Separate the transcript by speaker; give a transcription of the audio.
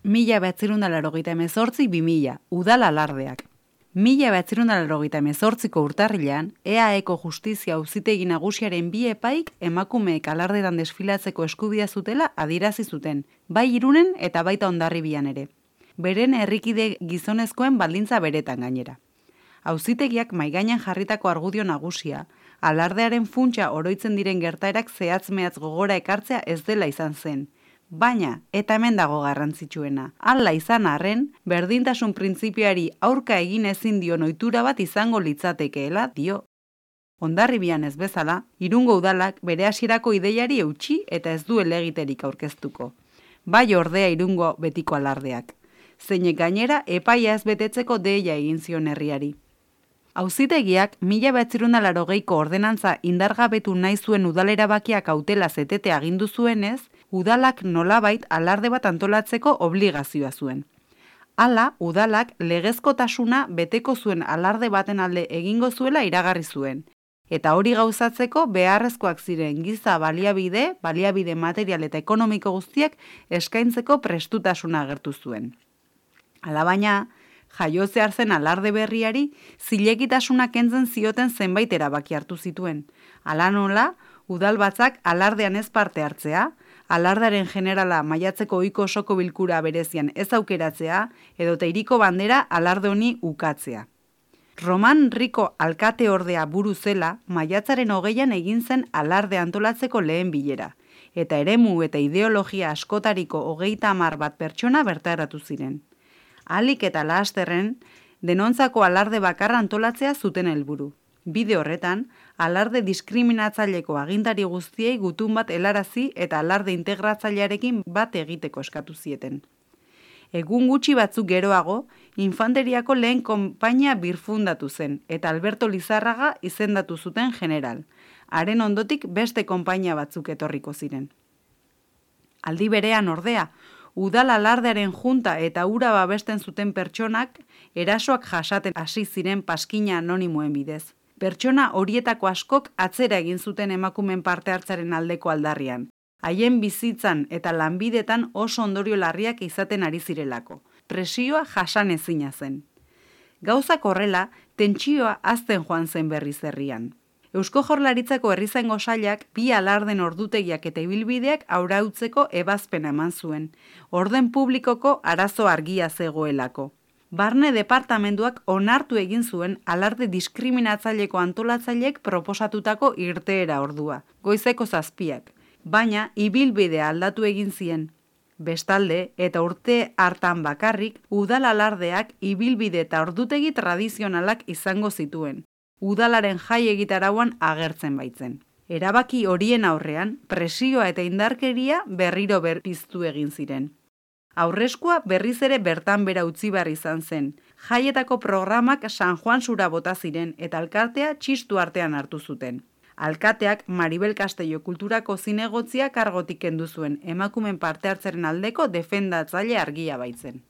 Speaker 1: 1988-2000, udal alardeak. 1988ko urtarrilean, EAEko Justizia Auzitegi Nagusiaren bi epaik emakumeek alardetan desfilatzeko eskubidea zutela adierazi zuten, bai Irunen eta baita Hondarribian ere. Beren herrikide gizonezkoen baldintza beretan gainera. Auzitegiak maigainan jarritako argudio nagusia, alardearen funtsa oroitzen diren gertaerak zehatz-mehatz gogora ekartzea ez dela izan zen. Baina, eta hemen dago garrantzitsuena, hala izan arren, berdintasun printzipioari aurka egin ezin dion ohitura bat izango litzatekeela dio. Hondarribian ez bezala, Irungo udalak bere hasierako ideiari eutsi eta ez du helegiterik aurkeztuko. Bai ordea Irungo betiko alardeak. Zeinek gainera epaia ez betetzeko deia egin zion herriari. Auzitegiak 1980ko ordenantza indargabetu nahi zuen udalerabakia kautela zetete agindu zuenez, udalak nolabait alarde bat antolatzeko obligazioa zuen. Hala, udalak legezkotasuna beteko zuen alarde baten alde egingo zuela iragarri zuen. Eta hori gauzatzeko beharrezkoak ziren giza baliabide material eta ekonomiko guztiak eskaintzeko prestutasuna agertu zuen. Alabaina, jaiotzear zen alarde berriari zilegitasuna kentzen zioten zenbait erabaki hartu zituen. Hala nola, udalbatzak alardean ez parte hartzea, alardaren generala maiatzeko ohiko osoko bilkura berezian ez aukeratzea, edota hiriko bandera alarde honi ukatzea. Roman Rico alkate ordea buru zela, maiatzaren 20an egin zen alarde antolatzeko lehen bilera, eta eremu eta ideologia askotariko 30 bat pertsona bertaratu ziren. Ahalik eta lasterren, denontzako alarde bakarra antolatzea zuten helburu. Bide horretan, alarde diskriminatzaileko agintari guztiei gutun bat helarazi eta alarde integratzailearekin bat egiteko eskatu zieten. Egun gutxi batzuk geroago, infanteriako lehen konpainia birfundatu zen eta Alberto Lizarraga izendatu zuten general. Haren ondotik beste konpainia batzuk etorriko ziren. Aldi berean ordea, udal alardearen junta eta hura babesten zuten pertsonak erasoak jasaten hasi ziren paskina anonimoen bidez. Pertsona horietako askok atzera egin zuten emakumen parte hartzaren aldeko aldarrian. Haien bizitzan eta lanbidetan oso ondorio larriak izaten ari zirelako. Presioa jasan ezina zen. Gauzak horrela, tentsioa hazten joan zen berriz herrian. Eusko Jaurlaritzako herrizaingo sailak bi alarden ordutegiak eta ibilbideak arautzeko ebazpena eman zuen. Orden publikoko arazo argia zegoelako. Barne departamentuak onartu egin zuen alarde diskriminatzaileko antolatzaileek proposatutako irteera ordua, goizeko 7, baina ibilbidea aldatu egin zien. Bestalde, eta urte hartan bakarrik, udal alardeak ibilbide eta ordutegi tradizionalak izango zituen. Udalaren jai egitarauan agertzen baitzen. Erabaki horien aurrean, presioa eta indarkeria berriro berpiztu egin ziren. Aurreskua berriz ere bertan bera utzi behar izan zen. Jaietako programak San Juan Sura bota ziren eta alkatea txistu artean hartu zuten. Alkateak Maribel Castello kulturako zinegotzia kargotik kendu zuen, emakumen parte hartzeren aldeko defendatzaile argia baitzen.